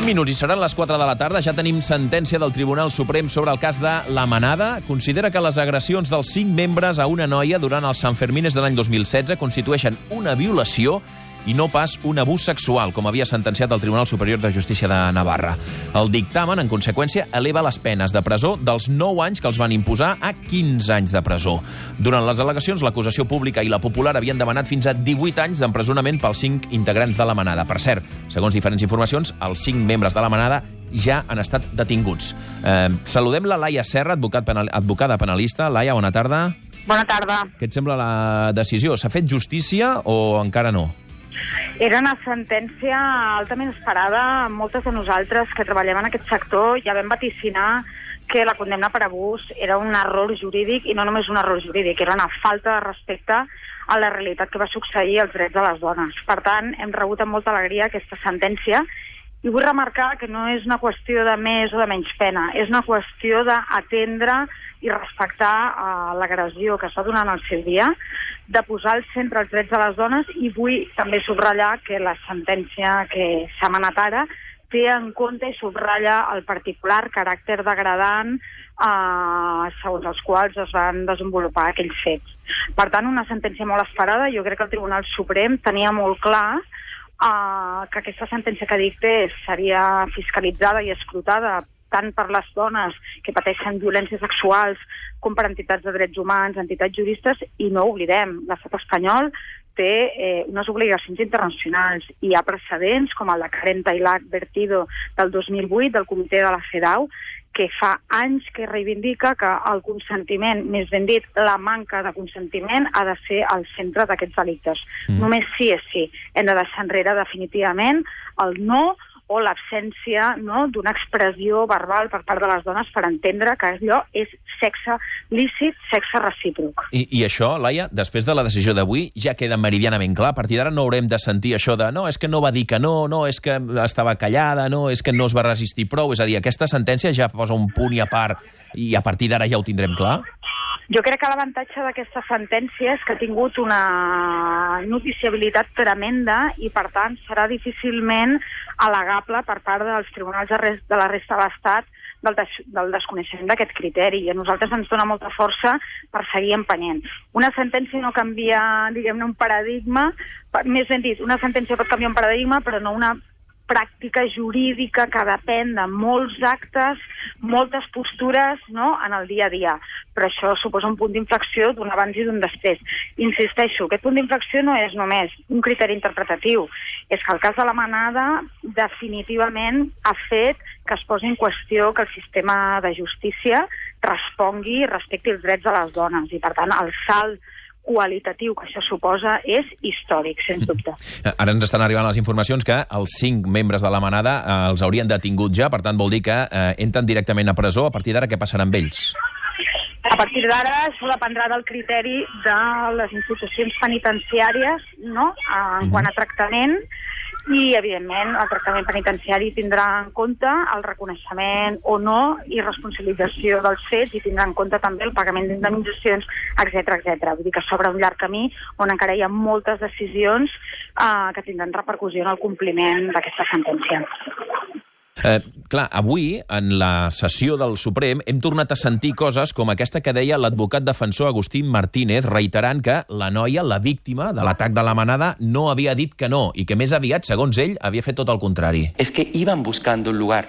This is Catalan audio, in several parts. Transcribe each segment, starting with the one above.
minuts i seran les 4 de la tarda. Ja tenim sentència del Tribunal Suprem sobre el cas de La Manada. Considera que les agressions dels 5 membres a una noia durant els Sanfermines de l'any 2016 constitueixen una violació i no pas un abús sexual, com havia sentenciat el Tribunal Superior de Justícia de Navarra. El dictamen, en conseqüència, eleva les penes de presó dels 9 anys que els van imposar a 15 anys de presó. Durant les al·legacions, l'acusació pública i la popular havien demanat fins a 18 anys d'empresonament pels 5 integrants de La Manada. Per cert, segons diferents informacions, els 5 membres de La Manada ja han estat detinguts. Saludem la Laia Serra, advocada penalista. Laia, bona tarda. Bona tarda. Què et sembla la decisió? S'ha fet justícia o encara no? Era una sentència altament esperada. Moltes de nosaltres que treballem en aquest sector ja vam vaticinar que la condemna per abús era un error jurídic, i no només un error jurídic, era una falta de respecte a la realitat que va succeir als drets de les dones. Per tant, hem rebut amb molta alegria aquesta sentència, i vull remarcar que no és una qüestió de més o de menys pena, és una qüestió d'atendre i respectar l'agressió que està donant al seu dia, de posar al centre els drets de les dones, i vull també subratllar que la sentència que s'ha emanat ara té en compte i subratlla el particular caràcter degradant segons els quals es van desenvolupar aquells fets. Per tant, una sentència molt esperada. Jo crec que el Tribunal Suprem tenia molt clar que aquesta sentència que dictés seria fiscalitzada i escrutada tant per les dones que pateixen violències sexuals com per entitats de drets humans, entitats juristes, i no oblidem, l'estat espanyol té unes obligacions internacionals. Hi ha precedents com el de Karen Tailach Vertido del 2008 del comitè de la CEDAW, que fa anys que reivindica que el consentiment, més ben dit, la manca de consentiment, ha de ser al centre d'aquests delictes. Només sí és sí. Hem de deixar enrere definitivament el no o l'absència d'una expressió verbal per part de les dones per entendre que allò és sexe lícit, sexe recíproc. I això, Laia, després de la decisió d'avui, ja queda meridianament clar. A partir d'ara no haurem de sentir això de no, és que no va dir que no, no, és que estava callada, no, és que no es va resistir prou. És a dir, aquesta sentència ja posa un punt i a part i a partir d'ara ja ho tindrem clar? Jo crec que l'avantatge d'aquesta sentència és que ha tingut una noticiabilitat tremenda i, per tant, serà difícilment al·legable per part dels tribunals de la resta de l'Estat del desconeixement d'aquest criteri. I a nosaltres ens dona molta força per seguir empenyent. Una sentència no canvia, diguem-ne, un paradigma. Més ben dit, una sentència pot canviar un paradigma, però no una pràctica jurídica que depèn de molts actes, moltes postures en el dia a dia. Però això suposa un punt d'inflexió d'un abans i d'un després. Insisteixo, aquest punt d'inflexió no és només un criteri interpretatiu, és que el cas de La Manada definitivament ha fet que es posi en qüestió que el sistema de justícia respongui i respecti els drets de les dones, i per tant el salt qualitatiu que això suposa és històric, sens dubte. Ara ens estan arribant les informacions que els 5 membres de La Manada els haurien detingut ja, per tant vol dir que entren directament a presó. A partir d'ara què passarà amb ells? A partir d'ara això dependrà del criteri de les institucions penitenciàries en quant a tractament, i, evidentment, el tractament penitenciari tindrà en compte el reconeixement o no i responsabilització dels fets, i tindrà en compte també el pagament d'indemnitzacions, etc. Vull dir que s'obre un llarg camí on encara hi ha moltes decisions que tindran repercussió en el compliment d'aquesta sentència. Clar, avui, en la sessió del Suprem, hem tornat a sentir coses com aquesta que deia l'advocat defensor Agustín Martínez, reiterant que la noia, la víctima de l'atac de La Manada, no havia dit que no, i que més aviat, segons ell, havia fet tot el contrari. Es que iban buscando un lugar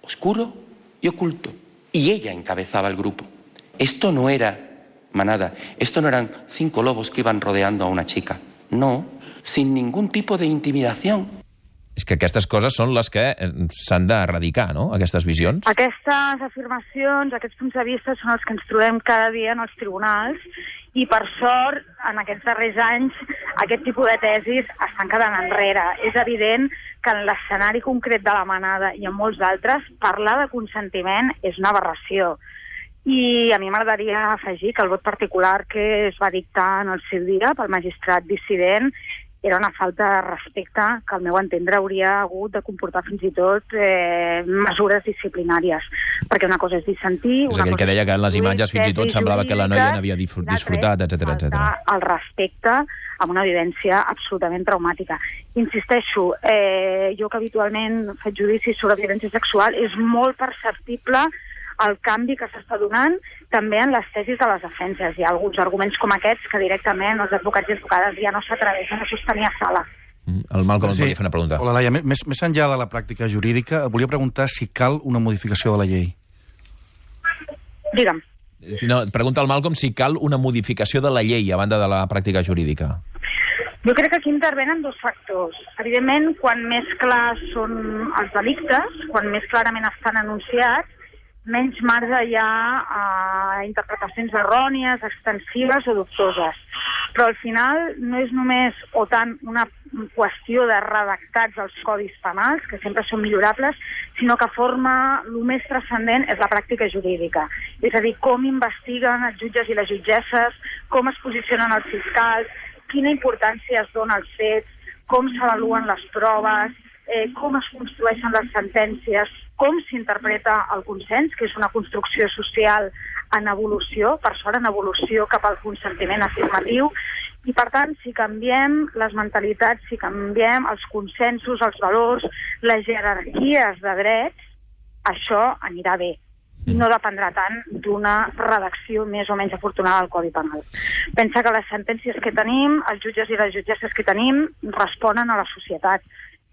oscuro y oculto, y ella encabezaba el grupo. Esto no era manada, esto no eran 5 lobos que iban rodeando a una chica. No, sin ningún tipo de intimidación. És que aquestes coses són les que s'han d'erradicar, no?, aquestes visions. Aquestes afirmacions, aquests punts de vista són els que ens trobem cada dia en els tribunals, i per sort, en aquests darrers anys, aquest tipus de tesis estan quedant enrere. És evident que en l'escenari concret de La Manada i en molts altres, parlar de consentiment és una aberració. I a mi m'agradaria afegir que el vot particular que es va dictar en el seu dia pel magistrat dissident era una falta de respecte que, al meu entendre, hauria hagut de comportar fins i tot mesures disciplinàries. Perquè una cosa és dissentir... És aquell que deia que en les imatges fins i tot semblava que la noia n'havia disfrutat, etc. El respecte amb una vivència absolutament traumàtica. Insisteixo, jo que habitualment faig judicis sobre violència sexual, és molt perceptible el canvi que s'està donant també en les tesis de les defenses. Hi ha alguns arguments com aquests que directament els advocats i advocades ja no s'atreveixen a sostenir a sala. El Malcom volia fer una pregunta. Hola, Laia. Més enllà de la pràctica jurídica, volia preguntar si cal una modificació de la llei. Digue'm. No, pregunta al Malcom si cal una modificació de la llei a banda de la pràctica jurídica. Jo crec que aquí intervenen dos factors. Evidentment, quan més clars són els delictes, quan més clarament estan anunciats, menys marge hi ha interpretacions errònies, extensives o dubtoses. Però al final no és només o tant una qüestió de redactats als codis penals, que sempre són millorables, sinó que el més transcendent és la pràctica jurídica. És a dir, com investiguen els jutges i les jutgesses, com es posicionen els fiscals, quina importància es dona als fets, com s'avaluen les proves, com es construeixen les sentències, com s'interpreta el consens, que és una construcció social en evolució, per sort en evolució cap al consentiment afirmatiu, i per tant, si canviem les mentalitats, si canviem els consensos, els valors, les jerarquies de drets, això anirà bé. I no dependrà tant d'una redacció més o menys afortunada del Codi Penal. Pensa que les sentències que tenim, els jutges i les jutgesses que tenim, responen a la societat.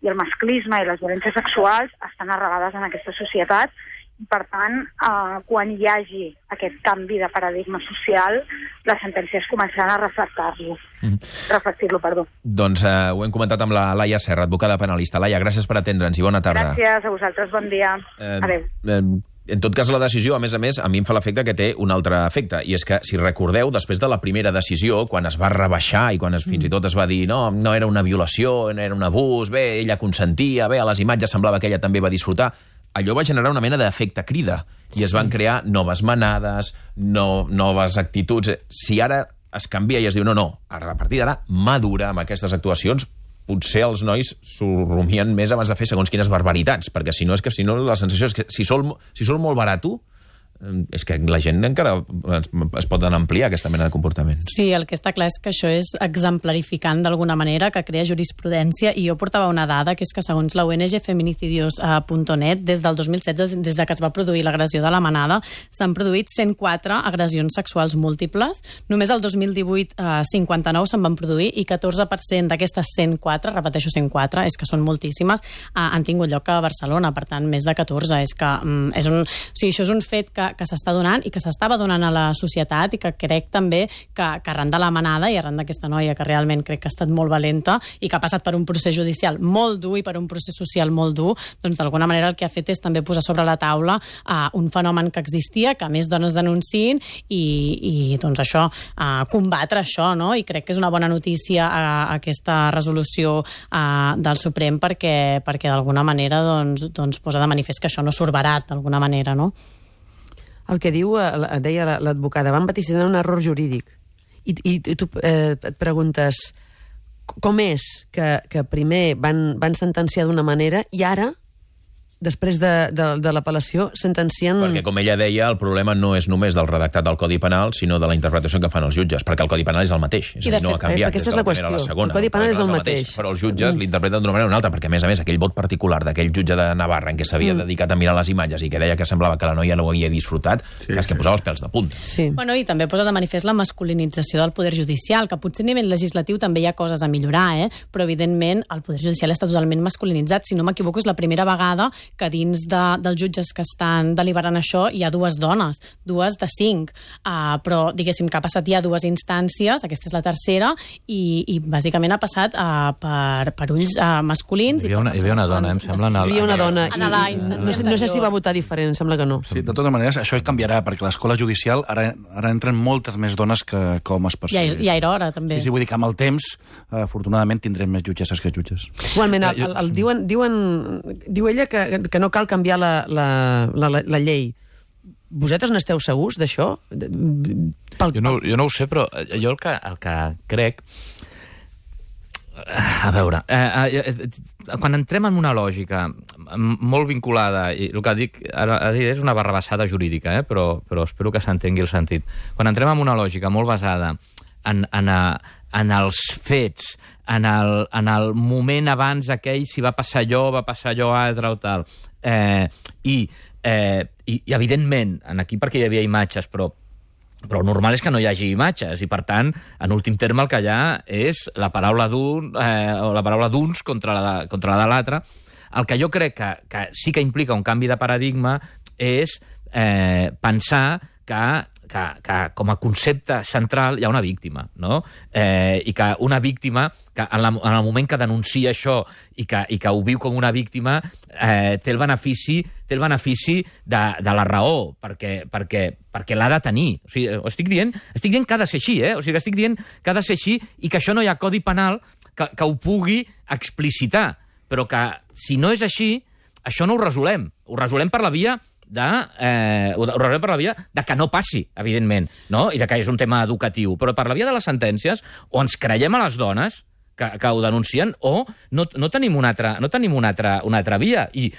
I el masclisme i les violències sexuals estan arrelades en aquesta societat i, per tant, quan hi hagi aquest canvi de paradigma social, les sentències començaran a reflectir-lo. Doncs ho hem comentat amb la Laia Serra, advocada penalista. Laia, gràcies per atendre'ns i bona tarda. Gràcies a vosaltres, bon dia. Adéu. En tot cas, la decisió, a més, a mi em fa l'efecte que té un altre efecte, i és que, si recordeu, després de la primera decisió, quan es va rebaixar i quan fins i tot es va dir no era una violació, no era un abús, bé, ella consentia, bé, a les imatges semblava que ella també va disfrutar, allò va generar una mena d'efecte crida, i es van crear noves manades, noves actituds. Si ara es canvia i es diu no, a partir d'ara, mà dura amb aquestes actuacions, potser els nois s'ho rumien més abans de fer segons quines barbaritats, perquè si no la sensació és que si sol molt barato, és que la gent encara es pot ampliar aquesta mena de comportament. Sí, el que està clar és que això és exemplarificant d'alguna manera, que crea jurisprudència, i jo portava una dada, que és que segons la ONG feminicidios.net, des del 2016, des de que es va produir l'agressió de la Manada, s'han produït 104 agressions sexuals múltiples. Només el 2018 59 se'n van produir i 14% d'aquestes 104, repeteixo 104, és que són moltíssimes, han tingut lloc a Barcelona, per tant, més de 14. Això és un fet que s'està donant i que s'estava donant a la societat, i que crec també que arran de la Manada i arran d'aquesta noia que realment crec que ha estat molt valenta i que ha passat per un procés judicial molt dur i per un procés social molt dur, doncs d'alguna manera el que ha fet és també posar sobre la taula un fenomen que existia, que més dones denunciïn i doncs això, combatre això, no? I crec que és una bona notícia aquesta resolució del Suprem perquè d'alguna manera doncs posa de manifest que això no surt barat d'alguna manera, no? El que deia l'advocada, van vaticinar un error jurídic. I tu et preguntes com és que primer van sentenciar d'una manera i ara, després de l'apel·lació, sentencien... Perquè, com ella deia, el problema no és només del redactat del Codi Penal, sinó de la interpretació que fan els jutges, perquè el Codi Penal és el mateix. És a dir, no ha canviat des de la primera a la segona. El Codi Penal és el mateix. Però els jutges l'interpreten d'una manera o una altra, perquè, a més, aquell vot particular d'aquell jutge de Navarra en què s'havia dedicat a mirar les imatges i que deia que semblava que la noia no ho havia disfrutat, és que posava els pèls de punta. Sí. Bueno, i també posa de manifest la masculinització del poder judicial, que potser a nivell legislatiu també hi ha coses a millorar, però, evidentment, el poder judicial està totalment masculinitzat. Si no m'equivoco, és la primera vegada que dins dels jutges que estan deliberant això hi ha 2 dones, 2 de 5, però diguéssim que ha passat ja 2 instàncies, aquesta és la tercera, i bàsicament ha passat per ulls masculins. Hi havia una dona, em sembla. Hi havia una dona, no sé si va votar diferent, sembla que no. Sí, de totes maneres, això canviarà, perquè a l'escola judicial ara entren moltes més dones que homes per ser. Ja era hora, també. Sí, vull dir que amb el temps, afortunadament, tindrem més jutgesses que jutges. Igualment, diu ella que no cal canviar la llei. Vosaltres n'esteu segurs d'això? Jo no ho sé, però jo el que crec... A veure, quan entrem en una lògica molt vinculada, i el que dic ara és una barrabassada jurídica, però espero que s'entengui el sentit. Quan entrem en una lògica molt basada en els fets, en el moment abans aquell, si va passar allò altre o tal, i evidentment, aquí perquè hi havia imatges, però el normal és que no hi hagi imatges i, per tant, en últim terme el que hi ha és la paraula d'uns contra la de l'altre. El que jo crec que sí que implica un canvi de paradigma és pensar que com a concepte central hi ha una víctima, no? I que una víctima, que en el moment que denuncia això i que ho viu com una víctima, té el benefici de la raó, perquè l'ha de tenir. O sigui, estic dient que ha de ser així, O sigui, estic dient que ha de ser així i que això no hi ha codi penal que ho pugui explicitar, però que si no és així, això no ho resolem. Ho resolem per la via de que no passi, evidentment, no? I de que és un tema educatiu, però per la via de les sentències o ens creiem a les dones que ho denuncien o no tenim una altra via, i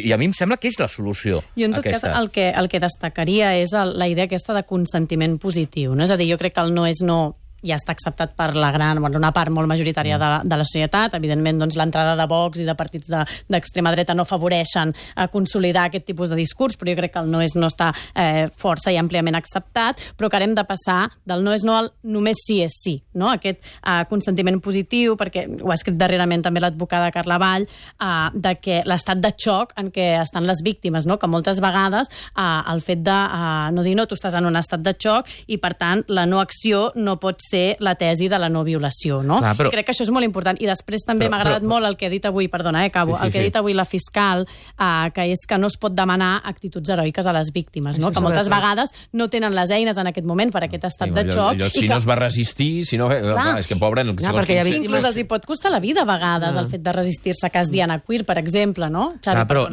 a mi em sembla que és la solució. Jo, en tot cas, el que destacaria és la idea aquesta de consentiment positiu, no? És a dir, jo crec que el no és no ja està acceptat per una part molt majoritària de la societat. Evidentment, doncs, l'entrada de Vox i de partits d'extrema dreta no afavoreixen a consolidar aquest tipus de discurs, però jo crec que el no és no està força i àmpliament acceptat, però que hem de passar del no és no al només sí és sí, no? Aquest consentiment positiu, perquè ho ha escrit darrerament també l'advocada Carla Vall, de que l'estat de xoc en què estan les víctimes, no? Que moltes vegades el fet de no dir no, tu estàs en un estat de xoc i, per tant, la no acció no pot ser la tesi de la no violació, no? Clar, però... Crec que això és molt important. I després també m'ha agradat molt el que ha dit avui, perdona, acabo, el que ha dit avui la fiscal, que és que no es pot demanar actituds heroiques a les víctimes, no? Que moltes vegades no tenen les eines en aquest moment per aquest estat de xoc. Si no es va resistir, si no... És que, pobre... Inclús els hi pot costar la vida a vegades el fet de resistir-se a cas Diana Queer, per exemple, no? Però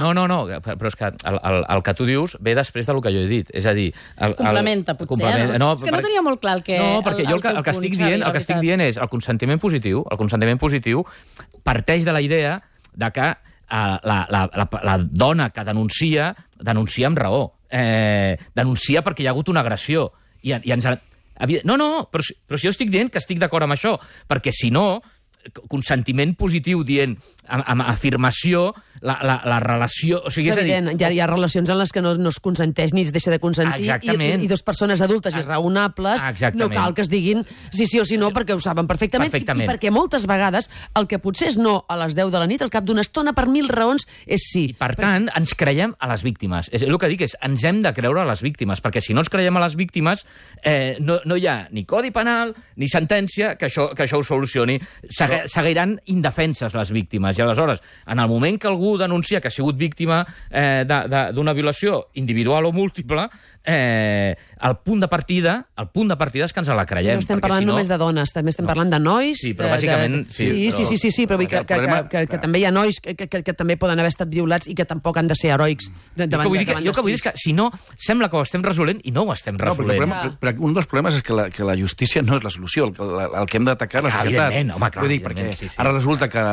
és que el que tu dius ve després del que jo he dit. És a dir... Complementa, potser. És que no tenia molt clar el que... No, perquè jo el que estic dient és el consentiment positiu. El consentiment positiu parteix de la idea de que la dona que denuncia amb raó. Denuncia perquè hi ha hagut una agressió. Però si jo estic dient que estic d'acord amb això, perquè si no, consentiment positiu dient amb afirmació la relació... O sigui, és evident, hi ha relacions en les que no es consenteix ni es deixa de consentir i dues persones adultes i raonables no cal que es diguin sí o sí no perquè ho saben perfectament. I perquè moltes vegades el que potser és no a les 10 de la nit al cap d'una estona per 1000 raons és sí. I per tant ens creiem a les víctimes. El que dic és ens hem de creure a les víctimes, perquè si no ens creiem a les víctimes no hi ha ni codi penal ni sentència que això ho solucioni. Seguiran indefenses les víctimes. I aleshores, en el moment que algú denuncia que ha sigut víctima d'una violació individual o múltiple, el punt de partida és que ens la creiem. No estem parlant només de dones, també estem parlant de nois. Sí, però bàsicament... Sí, però que també hi ha nois que també poden haver estat violats i que tampoc han de ser heroics. Jo que vull dir és que, si no, sembla que ho estem resolent i no ho estem resolent. Però un dels problemes és que la justícia no és la solució, el que hem d'atacar la societat. Evidentment, home, clar. Vull dir, perquè ara resulta que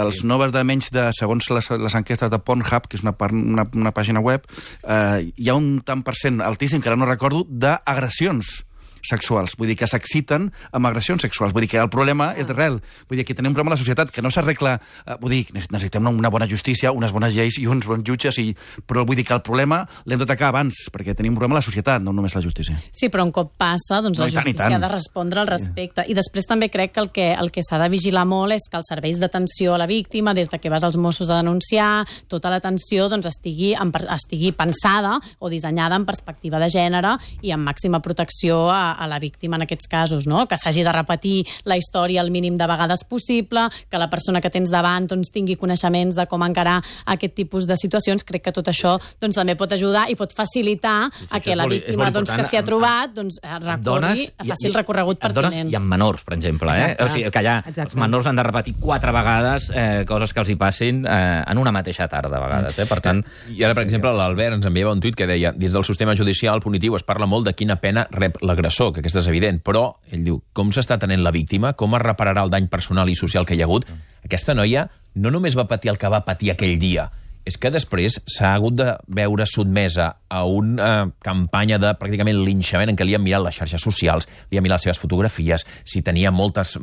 els noves de menys de, segons les enquestes de Pornhub, que és una pàgina web, hi ha un tant % altíssim, que ara no recordo, d'agressions sexuals. Vull dir que s'exciten amb agressions sexuals. Vull dir que el problema és d'arrel. Vull dir que tenim un problema a la societat que no s'arregla... Vull dir, necessitem una bona justícia, unes bones lleis i uns bons jutges, però vull dir que el problema l'hem d'atacar abans, perquè tenim un problema a la societat, no només la justícia. Sí, però un cop passa, doncs la justícia ha de respondre al respecte. I després també crec que el que s'ha de vigilar molt és que els serveis d'atenció a la víctima, des de que vas als Mossos a denunciar, tota l'atenció doncs, estigui pensada o dissenyada en perspectiva de gènere i amb màxima protecció a la víctima en aquests casos, no? Que s'hagi de repetir la història el mínim de vegades possible, que la persona que tens davant doncs, tingui coneixements de com encarar aquest tipus de situacions. Crec que tot això doncs, també pot ajudar i pot facilitar que la víctima doncs, que s'hi ha trobat doncs, recorri, faci el recorregut pertinent. Dones i amb menors, per exemple. O sigui, que allà els menors han de repetir 4 vegades coses que els hi passin en una mateixa tarda, a vegades. Per tant... I ara, per exemple, l'Albert ens enviava un tuit que deia: dins del sistema judicial punitiu es parla molt de quina pena rep l'agressor. l'agressor, que aquesta és evident, però ell diu, com s'està tenint la víctima, com es repararà el dany personal i social que hi ha hagut? Aquesta noia no només va patir el que va patir aquell dia, és que després s'ha hagut de veure sotmesa a una campanya de pràcticament linxament en què li han mirat les xarxes socials, li han mirat les seves fotografies, si tenia moltes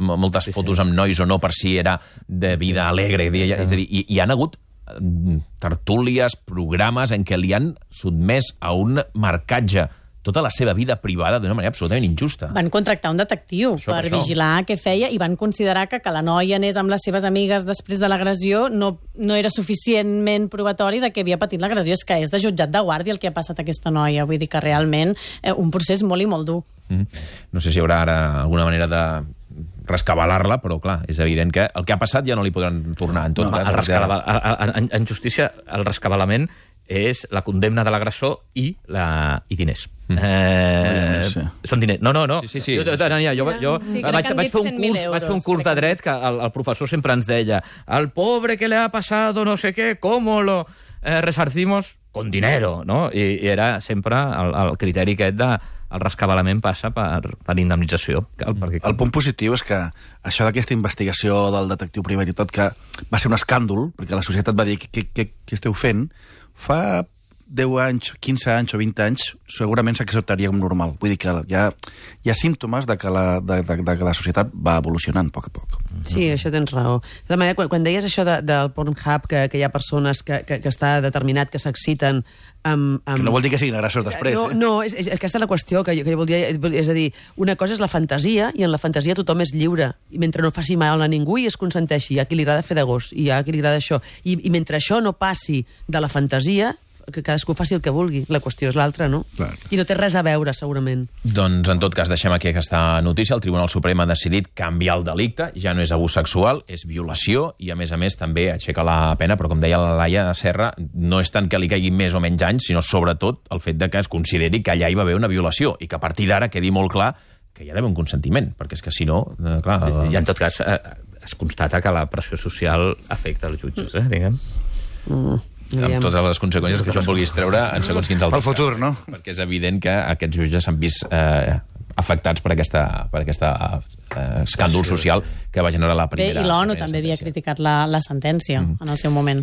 fotos amb nois o no, per si era de vida alegre. És a dir, hi han hagut tertúlies, programes en què li han sotmès a un marcatge tota la seva vida privada d'una manera absolutament injusta. Van contractar un detectiu per vigilar què feia i van considerar que la noia anés amb les seves amigues després de l'agressió no era suficientment probatori de que havia patit l'agressió. És que és de jutjat de guàrdia el que ha passat a aquesta noia. Vull dir que realment un procés molt i molt dur. No sé si hi haurà ara alguna manera de rescabalar-la, però clar, és evident que el que ha passat ja no li podran tornar. En justícia, el rescabalament és la condemna de l'agressor i diners. Són diners. No. Sí. Jo vaig fer un curs de dret que el professor sempre ens deia al pobre que le ha pasado no sé què, ¿cómo lo resarcimos? Con dinero, no? I era sempre el criteri aquest de el rescabalament passa per indemnització. El punt positiu és que això d'aquesta investigació del detectiu privat i tot, que va ser un escàndol, perquè la societat va dir què esteu fent, fa 10 anys, 15 anys o 20 anys segurament s'acceptaria com normal. Vull dir que hi ha símptomes de que la societat va evolucionant a poc a poc. Sí, això tens raó. De tota manera, quan deies això del Pornhub, que hi ha persones que està determinat que s'exciten amb... Que no vol dir que siguin agressors després. No, és aquesta la qüestió que jo volia... És a dir, una cosa és la fantasia, i en la fantasia tothom és lliure, i mentre no faci mal a ningú i es consenteixi. Hi ha qui li agrada fer de gos, i hi ha qui li agrada això. I mentre això no passi de la fantasia, que cadascú faci el que vulgui. La qüestió és l'altra, no? Clar. I no té res a veure, segurament. Doncs, en tot cas, deixem aquí aquesta notícia. El Tribunal Suprem ha decidit canviar el delicte. Ja no és abús sexual, és violació, i, a més, també aixeca la pena, però, com deia la Laia Serra, no és tant que li caigui més o menys anys, sinó, sobretot, el fet de que es consideri que allà hi va haver una violació, i que a partir d'ara quedi molt clar que hi ha d'haver un consentiment, perquè és que, si no... clar, I, en tot cas, es constata que la pressió social afecta els jutges, diguem. Amb totes les conseqüències que això en vulguis treure en segons quins altres casos. Pel futur, no? Perquè és evident que aquests jutges s'han vist afectats per aquest escàndol social que va generar la primera... Bé, i l'ONU també havia criticat la sentència en el seu moment.